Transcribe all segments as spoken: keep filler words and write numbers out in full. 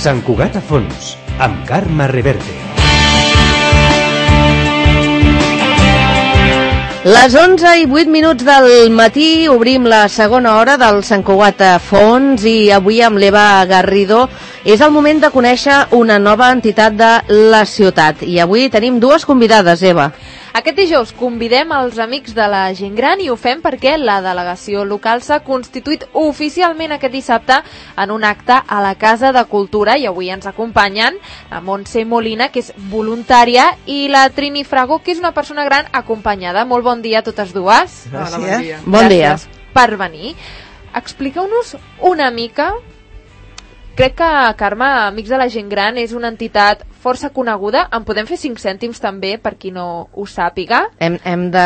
Sant Cugat a fons, amb Carme Reverte. Les onze i vuit minuts del matí obrim la segona hora del Sant Cugat a fons i avui amb l'Eva Garrido és el moment de conèixer una nova entitat de la ciutat. I avui tenim dues convidades, Eva. Aquest dijous convidem els amics de la gent gran i ho fem perquè la delegació local s'ha constituït oficialment aquest dissabte en un acte a la Casa de Cultura i avui ens acompanyen la Montse Molina, que és voluntària, i la Trini Frago, que és una persona gran acompanyada. Molt bon dia a totes dues. Gràcies. Hola, bon dia. Bon dia. Gràcies per venir. Expliqueu-nos una mica. Crec que, Carme, Amics de la Gent Gran és una entitat força coneguda. En podem fer cinc cèntims també, per qui no ho sàpiga? Hem, hem de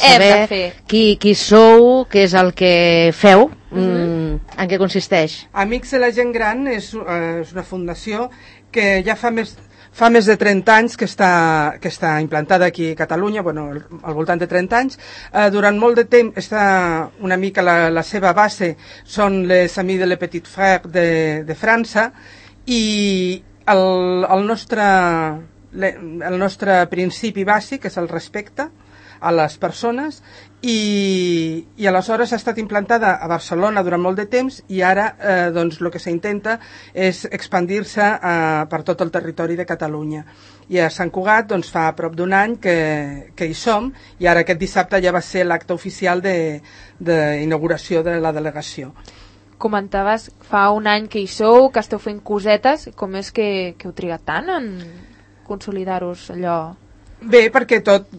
saber hem de fer. Qui, qui sou, què és el que feu, Uh-huh. mm, en què consisteix. Amics de la Gent Gran és, uh, és una fundació que ja fa més... Fa més de trenta anys que està, que està implantada aquí a Catalunya, bueno, al voltant de trenta anys. Eh, durant molt de temps, està una mica la, la seva base, són les Amis de les Petits Frères de, de França, i el, el, nostre, el nostre principi bàsic és el respecte a les persones, i, i aleshores ha estat implantada a Barcelona durant molt de temps i ara eh, doncs, el que s'intenta és expandir-se eh, per tot el territori de Catalunya. I a Sant Cugat doncs, fa prop d'un any que, que hi som, i ara aquest dissabte ja va ser l'acte oficial d'inauguració de, de la delegació. Comentaves fa un any que hi sou, que esteu fent cosetes. Com és que, que heu trigat tant en consolidar-vos allò? Bé, perquè tot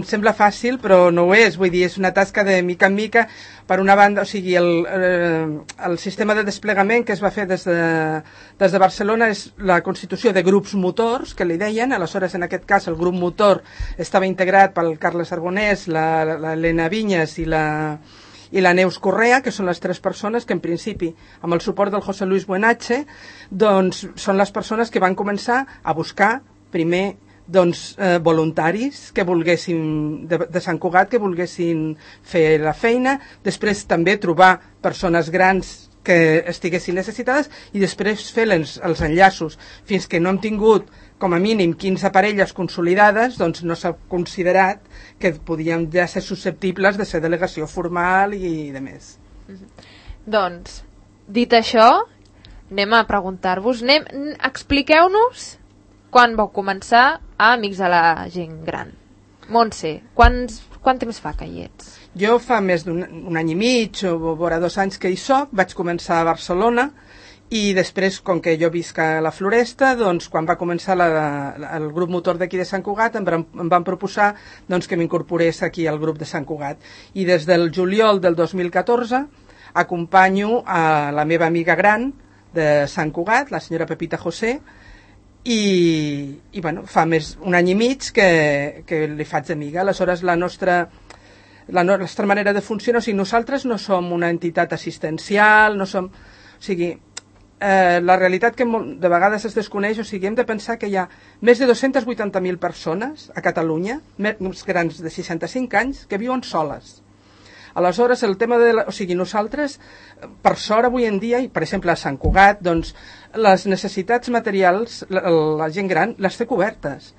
sembla fàcil, però no ho és. Vull dir, és una tasca de mica en mica. Per una banda, o sigui, el, el sistema de desplegament que es va fer des de, des de Barcelona és la constitució de grups motors, que li deien. Aleshores, en aquest cas, el grup motor estava integrat pel Carles Arbonès, l'Helena Vinyes i la... i la Neus Correa, que són les tres persones que en principi, amb el suport del José Luis Buenache, doncs són les persones que van començar a buscar primer doncs, eh, voluntaris que volguessin, de, de Sant Cugat, que volguessin fer la feina, després també trobar persones grans que estiguessin necessitades i després fer els, els enllaços. Fins que no hem tingut com a mínim quinze parelles consolidades, doncs no s'ha considerat que podíem ja ser susceptibles de ser delegació formal i de més. Mm-hmm. Doncs, dit això, anem a preguntar-vos, expliqueu-nos quan vau començar a Amics de la Gent Gran. Montse, quants, quant temps fa que hi ets? Jo fa més d'un un any i mig o vora dos anys que hi soc, vaig començar a Barcelona i després, com que jo visc a la Floresta, doncs quan va començar la, la, el grup motor d'aquí de Sant Cugat em, em van proposar doncs, que m'incorporés aquí al grup de Sant Cugat. I des del juliol del dos mil catorze acompanyo a la meva amiga gran de Sant Cugat, la senyora Pepita José, i, i bueno, fa més un any i mig que, que li faig d'amiga. Aleshores la nostra, la nostra manera de funcionar, o sigui, nosaltres no som una entitat assistencial, no som, o sigui, eh, la realitat que de vegades es desconeix, o sigui, hem de pensar que hi ha més de dos-cents vuitanta mil persones a Catalunya, més grans de seixanta-cinc anys, que viuen soles. Aleshores, el tema de... La, o sigui, nosaltres, per sort, avui en dia, i per exemple a Sant Cugat, doncs, les necessitats materials, la, la gent gran, les té cobertes.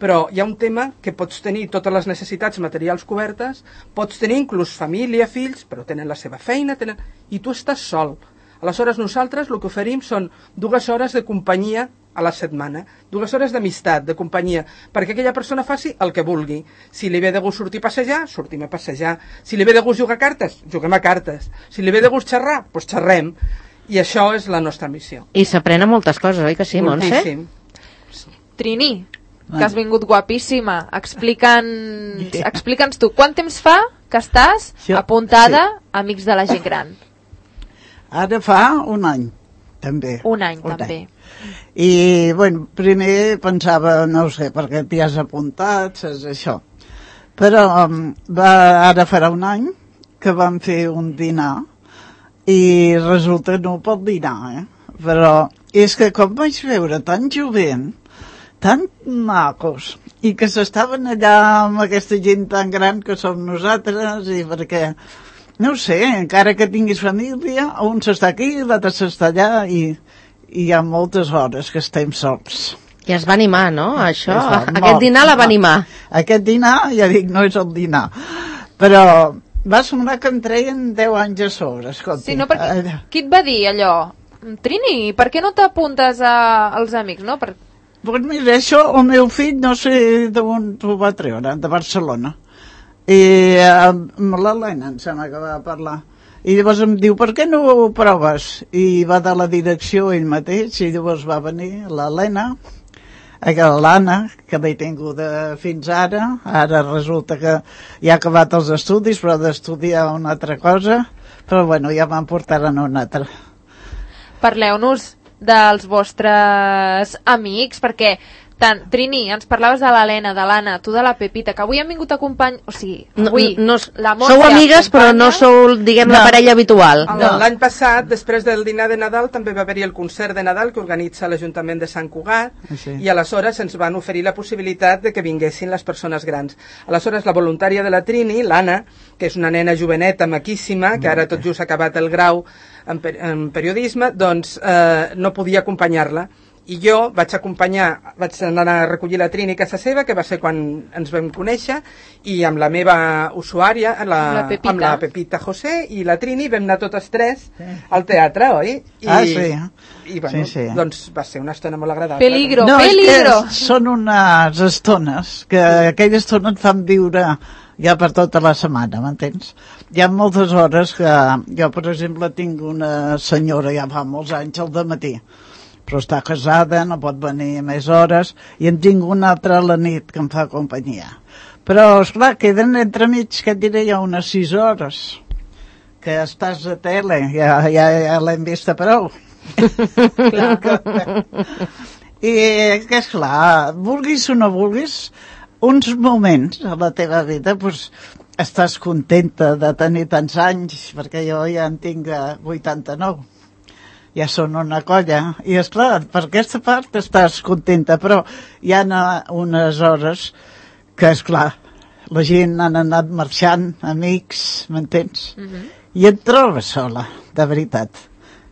Però hi ha un tema que pots tenir totes les necessitats materials cobertes, pots tenir inclús família, fills, però tenen la seva feina, tenen... i tu estàs sol. Aleshores, nosaltres el que oferim són dues hores de companyia a la setmana, dues hores d'amistat, de companyia, perquè aquella persona faci el que vulgui. Si li ve de gust sortir a passejar, sortim a passejar. Si li ve de gust jugar a cartes, juguem a cartes. Si li ve de gust xerrar, doncs xerrem. I això és la nostra missió. I s'aprenen moltes coses, oi que sí, Montse? Moltíssim. Trini, que has vingut guapíssima, explica'ns explica'ns tu, quant temps fa que estàs jo, apuntada sí. a Amics de la Gent Gran? Ara fa un any, també. Un any, un també. Any. I, bueno, primer pensava, no sé, perquè t'hi has apuntat, saps això. Però um, va, ara farà un any que vam fer un dinar i resulta no pot dinar, eh? Però és que com vaig veure tan jovent, tan macos, i que s'estaven allà amb aquesta gent tan gran que som nosaltres, i perquè, no sé, encara que tinguis família, un s'està aquí, l'altre s'està allà, i, i hi ha moltes hores que estem sols. I es va animar, no? Això, va, aquest molt, dinar la va animar. Aquest dinar, ja dic, no és el dinar, però va semblar que em treien deu anys a sobre, escolti. Sí, no, perquè, qui et va dir allò? Trini, per què no t'apuntes a, als amics, no? Per... Pues mira, això el meu fill no sé d'on ho va treure, de Barcelona. I amb l'Helena em sembla que va parlar. I llavors em diu, per què no ho proves? I va de la direcció ell mateix, i llavors va venir l'Helena, l'Anna, que l'he tingut fins ara. Ara resulta que ja ha acabat els estudis, però ha d'estudiar una altra cosa. Però bueno, ja me'n portaran una altra. Parleu-nos dels vostres amics, perquè tant, Trini, ens parlaves de l'Helena, de l'Anna, tu de la Pepita, que avui han vingut a acompanyar... O sigui, avui no, no, la Montse sou amigues, acompanya... però no sou, diguem, no. la parella habitual. No. L'any passat, després del dinar de Nadal, també va haver-hi el concert de Nadal que organitza l'Ajuntament de Sant Cugat, sí. I aleshores ens van oferir la possibilitat de que vinguessin les persones grans. Aleshores, la voluntària de la Trini, l'Anna, que és una nena joveneta, maquíssima, que ara tot just ha acabat el grau en, per en periodisme, doncs eh, no podia acompanyar-la. I jo vaig acompanyar, vaig anar a recollir la Trini a casa seva, que va ser quan ens vam conèixer, i amb la meva usuària, la, la Pepita. amb la Pepita José i la Trini, vam anar totes tres al teatre, oi? I, ah, sí. I bueno, sí, sí. doncs va ser una estona molt agradable. Peligro, no, peligro! Són unes estones que aquelles estones et fan viure ja per tota la setmana, m'entens? Hi ha moltes hores que jo, per exemple, tinc una senyora ja fa molts anys al dematí, però està casada, no pot venir més hores, i en tinc una altra a la nit que em fa companyia. Però, esclar, queden entremig, que et diré, ja unes sis hores, que estàs a tele, ja, ja, ja l'hem vista prou. I que, esclar, vulguis o no vulguis, uns moments a la teva vida, doncs, estàs contenta de tenir tants anys, perquè jo ja en tinc vuitanta-nou. Ja són una colla, i esclar, per aquesta part estàs contenta, però hi ha unes hores que, esclar, la gent han anat marxant, amics, m'entens? Uh-huh. I et trobes sola, de veritat,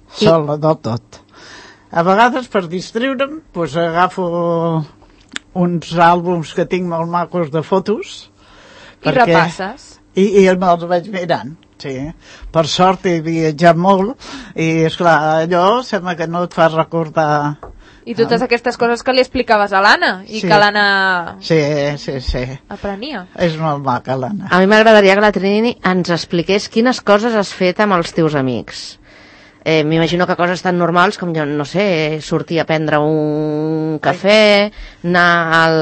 sola del tot. A vegades, per distreure'm, doncs agafo uns àlbums que tinc molt macos de fotos. I perquè... repasses. I, i me'ls vaig mirant. Sí, per sort he viatjat molt i, esclar, allò sembla que no et fa recordar... I totes aquestes coses que li explicaves a l'Anna i sí. que l'Anna sí, sí, sí. aprenia. És molt maca, l'Anna. A mi m'agradaria que la Trini ens expliqués quines coses has fet amb els teus amics. Eh, M'imagino que coses tan normals com, jo no sé, sortir a prendre un cafè, anar al,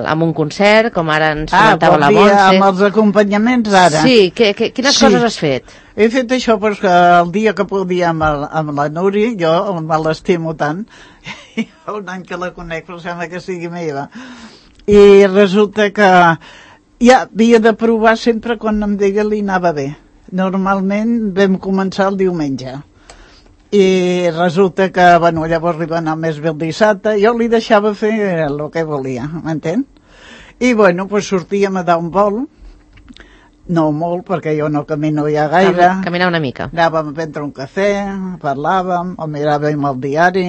a un concert, com ara ens comentava ah, la Montse. Ah, amb els acompanyaments ara. Sí, que, que, quines sí. coses has fet? He fet això perquè el dia que podia amb, el, amb la Núria, jo me l'estimo tant, i un any que la conec, però sembla que sigui meva. I resulta que ja havia de provar sempre quan em deia li anava bé. Normalment vam començar el diumenge. I resulta que, bueno, llavors li va anar més bé el dissabte, jo li deixava fer el que volia, m'entén? I, bueno, pues sortíem a dar un vol, no molt, perquè jo no camino ja gaire. Caminar una mica. Anàvem a prendre un cafè, parlàvem, o miràvem el diari.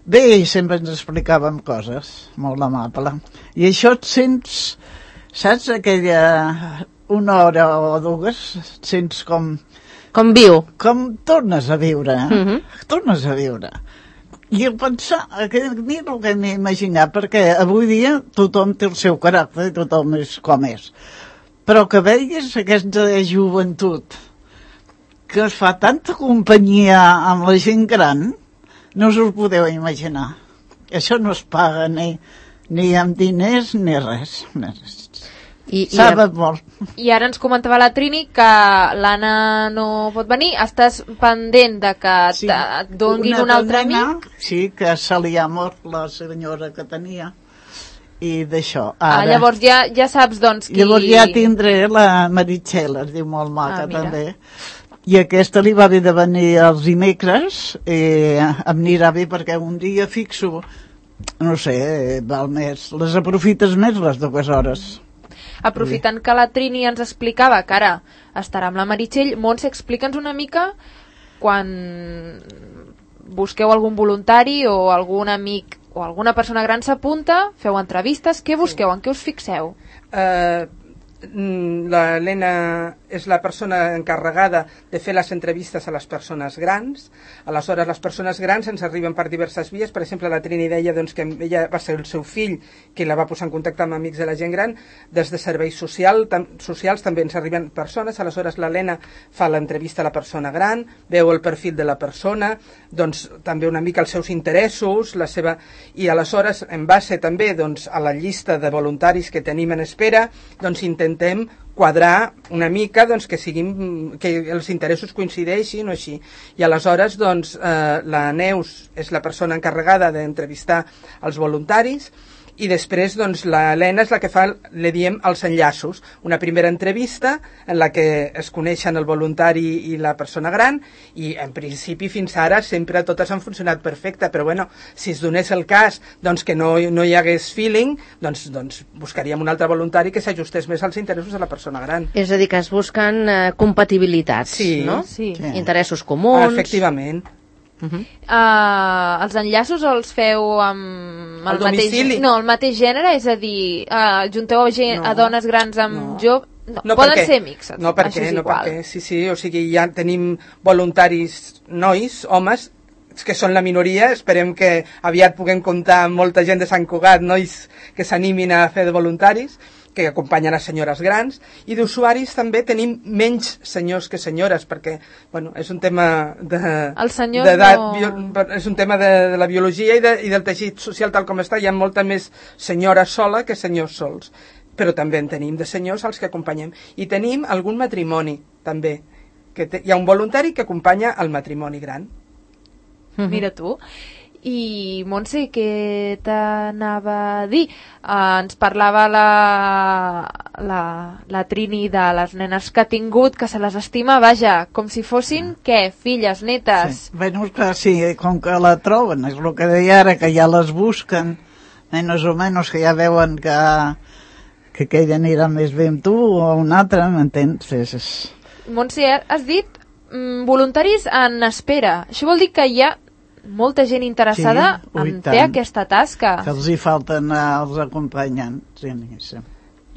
Bé, i sempre ens explicàvem coses, molt amable. I això et sents, saps, aquella una hora o dues, et sents com... Com viu. Com tornes a viure, eh? Uh-huh. Tornes a viure. I el pensar, que ni el que m'he imaginat, perquè avui dia tothom té el seu caràcter, tothom és com és. Però que veigues aquesta joventut que es fa tanta companyia amb la gent gran, no us ho podeu imaginar. Això no es paga ni, ni amb diners ni res. Ni res. I, Sabe i, molt. I ara ens comentava la Trini que l'Anna no pot venir. Estàs pendent de que sí. et donguin un altre amic? Sí, que se li ha mort la senyora que tenia. I d'això. Ah, llavors ja, ja saps, doncs, qui... Llavors ja tindré la Meritxell, es diu molt maca, ah, també. I aquesta li va haver de venir els dimecres, i em anirà bé perquè un dia fixo, no sé, val més, les aprofites més les dues hores. Aprofitant que la Trini ens explicava que ara estarà amb la Meritxell, Montse, explica'ns una mica quan busqueu algun voluntari o algun amic o alguna persona gran s'apunta, feu entrevistes, què busqueu, en què us fixeu? Eh... Uh... L'Helena és la persona encarregada de fer les entrevistes a les persones grans. Aleshores, les persones grans ens arriben per diverses vies. Per exemple, la Trini deia doncs, que ella va ser el seu fill qui la va posar en contacte amb amics de la gent gran. Des de serveis social, tam, socials també ens arriben persones. Aleshores, l'Helena fa l'entrevista a la persona gran, veu el perfil de la persona, doncs, també una mica els seus interessos, la seva... i aleshores, en base també doncs, a la llista de voluntaris que tenim en espera, doncs intentem quadrar una mica doncs, que, siguin, que els interessos coincideixin o així. I aleshores doncs, eh, la Neus és la persona encarregada d'entrevistar els voluntaris i després doncs, la Helena és la que fa, li diem, els enllaços. Una primera entrevista en la que es coneixen el voluntari i la persona gran i en principi fins ara sempre totes han funcionat perfecte, però bueno, si es donés el cas doncs, que no, no hi hagués feeling, doncs, doncs buscaríem un altre voluntari que s'ajustés més als interessos de la persona gran. És a dir, que es busquen eh, compatibilitats, sí, no? Sí. Sí. Interessos comuns. Efectivament. Uh -huh. uh, els enllaços els feu amb el, el mateix, no, el mateix gènere, és a dir, uh, junteu a, gent, no, a dones grans amb no. joves, no, no, poden perquè, ser mixes, no perquè, això és no igual. perquè, sí, sí, o sigui, ja tenim voluntaris nois, homes, que són la minoria, esperem que aviat puguem comptar amb molta gent de Sant Cugat, nois que s'animin a fer de voluntaris, que acompanyen a senyores grans, i d'usuaris també tenim menys senyors que senyores, perquè bueno, és un tema de, de no... bio, és un tema de, de la biologia i, de, i del teixit social tal com està. Hi ha molta més senyora sola que senyors sols, però també en tenim de senyors als que acompanyem, i tenim algun matrimoni també, que te, hi ha un voluntari que acompanya el matrimoni gran. Mira tu. I Montse, què t'anava a dir? Uh, ens parlava la, la, la Trini de les nenes que ha tingut, que se les estima, vaja, com si fossin, què, filles, netes? Sí. Bueno, clar, sí, com que la troben, és el que deia ara, que ja les busquen, menys o menys que ja veuen que, que aquella anirà més bé amb tu o un altre, m'entens? És, és... Montse, has dit mm, voluntaris en espera. Això vol dir que hi ha molta gent interessada sí, en fer aquesta tasca. Que els hi falten els acompanyants. Sí, sí.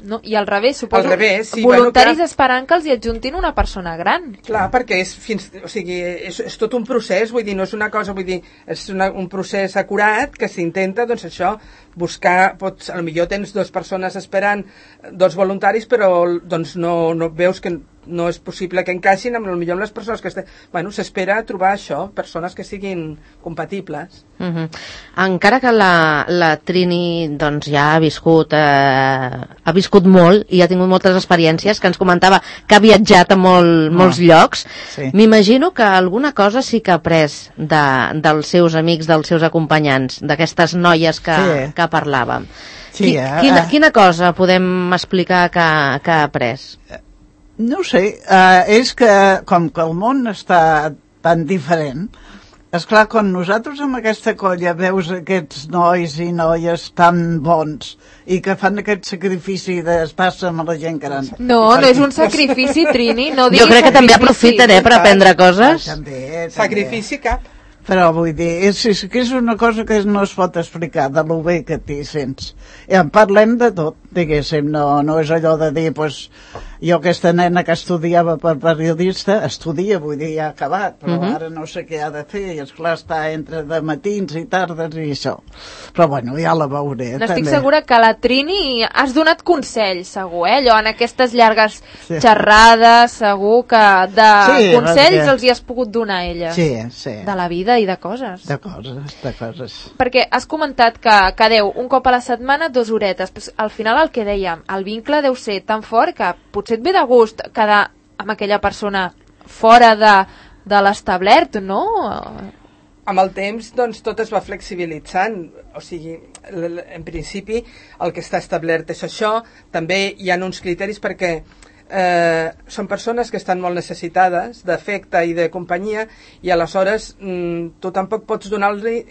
No, i al revés, suposo, al revés, sí, voluntaris bueno, esperant que els hi adjuntin una persona gran. Clar, perquè és, fins, o sigui, és, és tot un procés, vull dir, no és una cosa, vull dir, és una, un procés acurat que s'intenta, doncs això, buscar, pots, potser tens dues persones esperant, dos voluntaris, però doncs no, no veus que no és possible que encaixin amb, potser amb les persones que estan... Bueno, s'espera trobar això, persones que siguin compatibles. Uh -huh. Encara que la, la Trini doncs, ja ha viscut, eh, ha viscut molt i ha tingut moltes experiències, que ens comentava que ha viatjat a molt, molts oh. llocs, sí. M'imagino que alguna cosa sí que ha après de, dels seus amics, dels seus acompanyants, d'aquestes noies que, sí. que parlàvem. Sí, Qui, eh? quina, quina cosa podem explicar que, que ha après? No sé, uh, és que com que el món està tan diferent, esclar, quan nosaltres amb aquesta colla veus aquests nois i noies tan bons i que fan aquest sacrifici d'estar-se amb la gent gran. No, no és un sacrifici, Trini, no diguis jo crec que sacrifici. També aprofiten, eh, per aprendre coses. Ah, també, també. Sacrifici cap. Però vull dir, és, és, que és una cosa que no es pot explicar de lo bé que t'hi sents. I en parlem de tot, diguéssim, no, no és allò de dir, pues, jo aquesta nena que estudiava per periodista, estudia, vull dir, ja ha acabat, però uh-huh. ara no sé què ha de fer, i esclar està entre de matins i tardes i això. Però bueno, ja la veuré. N'estic també. segura que la Trini has donat consells, segur, eh? Allò, en aquestes llargues sí. xerrades, segur que de sí, consells perquè... els hi has pogut donar a ella. Sí, sí. De la vida i de coses. De coses, de coses. Perquè has comentat que quedeu un cop a la setmana dues horetes, però al final el que dèiem, el vincle deu ser tan fort que potser et ve de gust quedar amb aquella persona fora de, de l'establert, no? Amb el temps, doncs, tot es va flexibilitzant. O sigui, en principi, el que està establert és això. També hi ha uns criteris perquè eh, són persones que estan molt necessitades d'afecte i de companyia, i aleshores mm, tu tampoc pots donar-li,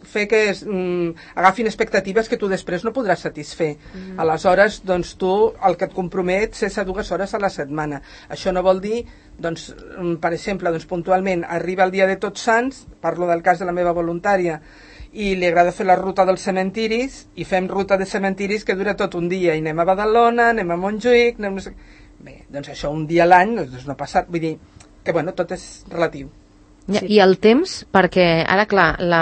fer que es, mm, agafin expectatives que tu després no podràs satisfer. Mm. Aleshores, doncs tu el que et compromets és a dues hores a la setmana. Això no vol dir, doncs, per exemple, doncs, puntualment arriba el dia de Tots Sants, parlo del cas de la meva voluntària, i li agrada fer la ruta dels cementiris, i fem ruta de cementiris que dura tot un dia, i anem a Badalona, anem a Montjuïc, anem... Bé, doncs això un dia a l'any doncs no passa, vull dir que bueno, tot és relatiu. Ja, sí. I el temps, perquè ara clar, la,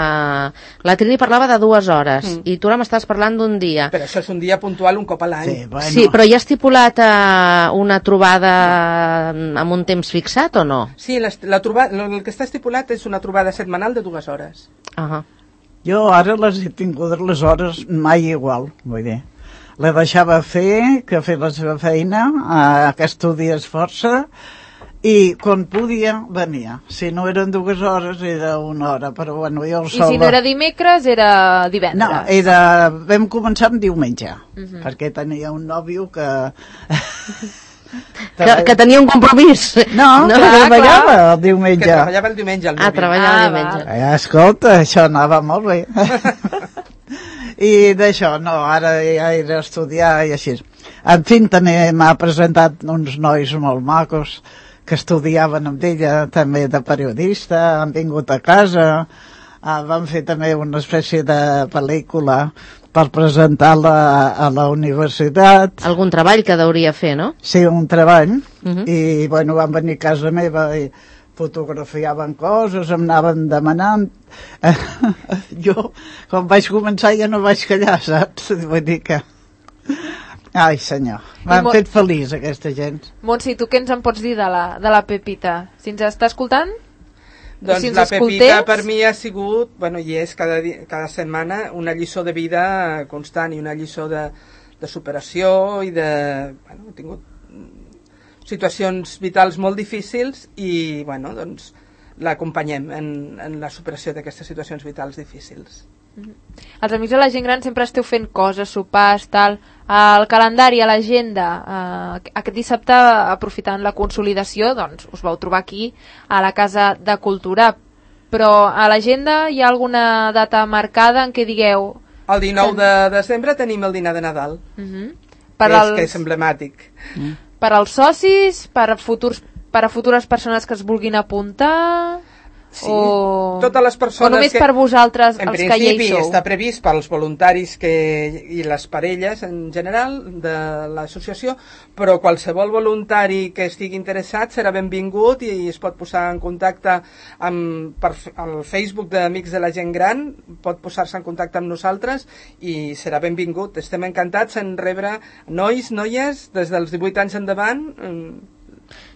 la Trini parlava de dues hores mm. i tu ara m'estàs parlant d'un dia. Però això és un dia puntual un cop a l'any. Sí, bueno. Sí, però hi ha estipulat uh, una trobada amb un temps fixat o no? Sí, la, la trobada, el que està estipulat és una trobada setmanal de dues hores. Uh -huh. Jo ara les he tingut les hores mai igual, vull dir. La deixava fer, que fer la seva feina, eh, que estudies força, i quan podia venia. Si no eren dues hores era una hora, però bueno, jo I si no era dimecres era divendres? No, era... vam començar amb diumenge, uh -huh. perquè tenia un nòvio que... que, que tenia un compromís. No, no que clar, treballava clar. el diumenge. Que treballava el diumenge, el Ah, treballava ah, el diumenge. Eh, escolta, això anava molt bé. I d'això, no, ara ja era estudiar i així. En fi, també m'ha presentat uns nois molt macos que estudiaven amb ella, també de periodista, han vingut a casa, uh, van fer també una espècie de pel·lícula per presentar-la a la universitat. Algun treball que deuria fer, no? Sí, un treball, uh -huh. i bueno, van venir a casa meva i fotografiaven coses, em anaven demanant. Jo, quan vaig començar ja no vaig callar, saps? Vull dir que... Ai, senyor, m'han fet feliç aquesta gent. Montse, tu què ens en pots dir de la, de la Pepita? Si ens està escoltant? Doncs si la Pepita per mi ha sigut, bueno, i és cada, dia, cada setmana una lliçó de vida constant i una lliçó de, de superació i de... Bueno, he tingut situacions vitals molt difícils i, bueno, doncs l'acompanyem en, en la superació d'aquestes situacions vitals difícils. Mm-hmm. Els Amics de la Gent Gran sempre esteu fent coses, sopars, tal. El calendari, a l'agenda, eh, aquest dissabte, aprofitant la consolidació, doncs us vau trobar aquí a la Casa de Cultura. Però a l'agenda hi ha alguna data marcada en què digueu... El dinou de desembre tenim el dinar de Nadal, mm-hmm. per que, als... és, que és emblemàtic. Mm. Per als socis, per a, futurs, per a futures persones que es vulguin apuntar... Sí, o... totes les persones... O només que, per vosaltres, els que hi sou? En principi està previst pels voluntaris que, i les parelles en general de l'associació, però qualsevol voluntari que estigui interessat serà benvingut i es pot posar en contacte amb per, el Facebook d'Amics de la Gent Gran, pot posar-se en contacte amb nosaltres i serà benvingut. Estem encantats en rebre nois, noies, des dels divuit anys endavant.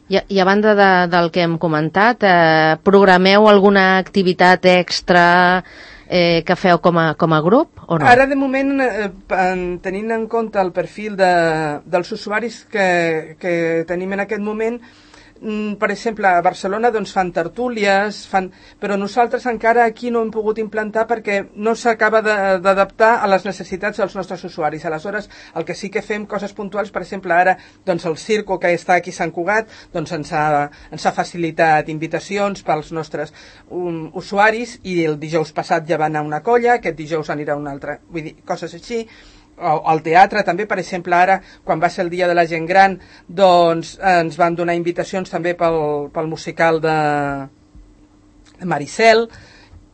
I, i a banda de, del que hem comentat, eh, programeu alguna activitat extra eh, que feu com a, com a grup o no? Ara de moment, eh, tenint en compte el perfil de, dels usuaris que, que tenim en aquest moment, per exemple, a Barcelona doncs, fan tertúlies, fan... però nosaltres encara aquí no hem pogut implantar perquè no s'acaba d'adaptar a les necessitats dels nostres usuaris. Aleshores, el que sí que fem coses puntuals, per exemple, ara doncs, el Circo, que està aquí a Sant Cugat, doncs, ens, ha, ens ha facilitat invitacions pels nostres um, usuaris i el dijous passat ja va anar una colla, aquest dijous anirà una altra, vull dir, coses així. Al teatre també, per exemple, ara quan va ser el dia de la gent gran doncs ens van donar invitacions també pel, pel musical de Maricel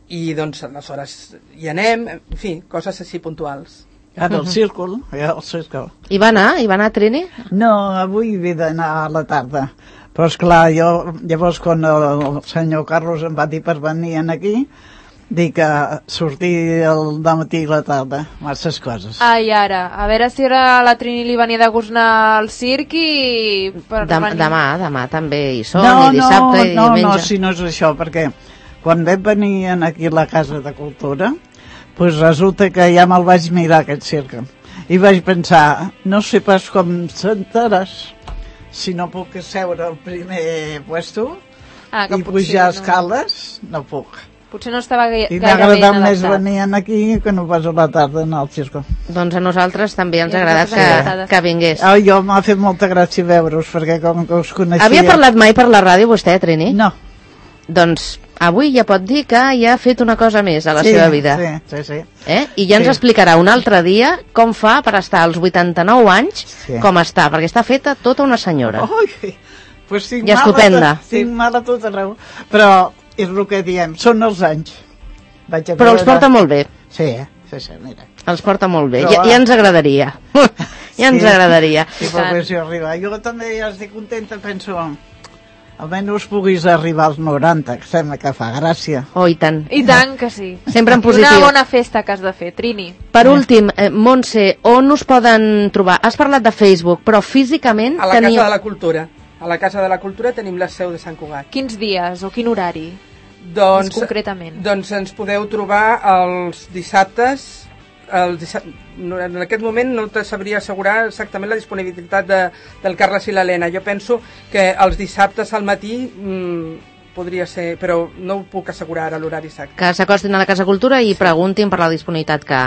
i doncs aleshores hi anem, en fi, coses així puntuals. Ara el círcul, ja el círcul. Hi va anar? Hi va anar Trini? No, avui he d'anar a la tarda, però esclar, jo llavors quan el senyor Carlos em va dir per venir aquí, dic que sortir el dematí i la tarda, masses coses. Ai, ara, a veure si ara la Trini li venia de gust anar al circ i... Per Dem venir... Demà, demà també hi són, no, i dissabte no, i no, diumenge. No, si no és això, perquè quan vam venir aquí a la Casa de Cultura, pues resulta que ja me'l vaig mirar aquest circ. I vaig pensar, no sé pas com sentaràs, si no puc seure al primer puesto ah, i pujar no. escales, no puc. Potser no estava I gaire m'ha ben agradat més adaptat. venir aquí que no pas a la tarda anar al circo. Doncs a nosaltres també ens I ha a agradat nosaltres ens ha que, agradat. que vingués. Ah, jo m'ha fet molta gràcia veure-us, perquè com que us coneixia... Havia parlat mai per la ràdio vostè, Trini? No. Doncs avui ja pot dir que ja ha fet una cosa més a la sí, seva vida. Sí, sí, sí. Eh? I ja ens Sí. explicarà un altre dia com fa per estar als vuitanta-nou anys, Sí. com està, perquè està feta tota una senyora. Ui, pues tinc I estupenda. Mal, tinc mal a tot arreu. Però és el que diem, són els anys. Vaig a Però els veure- porta molt bé, Sí, eh? sí, sí, mira. els porta molt bé. Però Ja, va. ja ens agradaria. Ja ens Sí. agradaria. Sí, però que si arriba. Jo també ja estic contenta, penso, almenys puguis arribar als noranta, que sembla que fa gràcia. Oh, i tant. I tant que sí. Sempre en I positiu. una bona festa que has de fer, Trini. Per últim, eh, Montse, on us poden trobar? Has parlat de Facebook, però físicament A la teniu... Casa de la Cultura. A la Casa de la Cultura tenim la seu de Sant Cugat. Quins dies o quin horari? Doncs, Més concretament. Doncs ens podeu trobar els dissabtes. Els dissab... no, en aquest moment no te sabria assegurar exactament la disponibilitat de, del Carles i l'Helena. Jo penso que els dissabtes al matí mmm, podria ser, però no ho puc assegurar ara l'horari exacte. Que s'acostin a la Casa Cultura i preguntin per la disponibilitat que,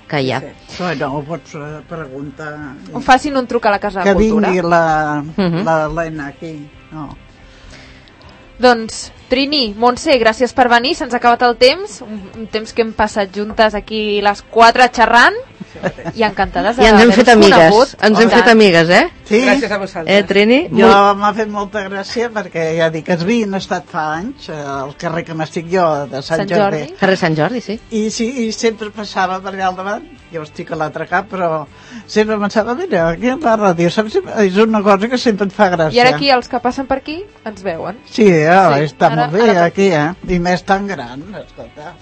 que hi ha. Sí. Bueno, ho pots eh, preguntar... O facin un truc a la Casa Que de Cultura. vingui la, Mhm. la Helena aquí. No. Doncs, Trini, Montse, gràcies per venir, se'ns ha acabat el temps, un, un temps que hem passat juntes aquí les quatre xerrant, i encantades I ens hem fet d'haver-vos amigues, conegut. ens hem Tant. fet amigues, eh? Sí? Gràcies a vosaltres. Eh, Trini? Jo Molt- m'ha fet molta gràcia perquè ja dic, es havien estat fa anys eh, al carrer que m'estic jo, de Sant, Sant Jordi. Carrer Sant Jordi, sí. I sí, i sempre passava per allà al davant, jo estic a l'altre cap, però sempre pensava, mira, aquí a la ràdio, saps? És una cosa que sempre et fa gràcia. I ara aquí els que passen per aquí ens veuen. Sí, eh, Sí, està ara- molt bé ara pot aquí, eh? I més tan gran, escolta.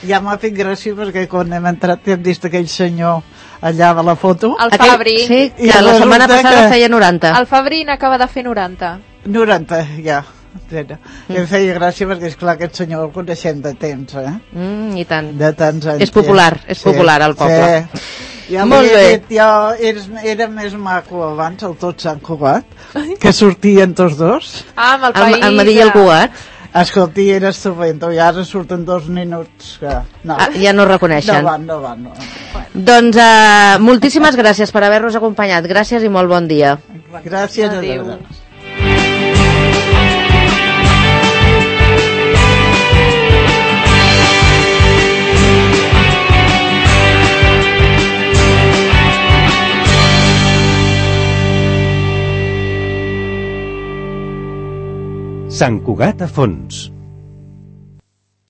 Ja m'ha fet gràcia perquè quan hem entrat hem vist aquell senyor allà de la foto. El Aquell- Fabri, Sí, I que la setmana resulta passada que- feia noranta. el Fabri n'acaba de fer noranta. noranta, ja. Era. Mm. Em feia gràcia perquè, esclar, aquest senyor el coneixem de temps, eh? Mm, I tant. De tants anys. És popular, és popular al poble. Sí. Ja Molt Molt bé. dit, jo eres, era més maco abans, el tot Sant Cugat, que sortien tots dos. Ah, amb el El, país... el Madí i el de- Cugat Escolti, era estupendo, i ara surten dos minuts que... No, ah, ja no no reconeixen. van, no van, no. Doncs uh, moltíssimes gràcies per haver-nos acompanyat. Gràcies i molt bon dia. Gràcies a Adéu. vosaltres. Sant Cugat a fons.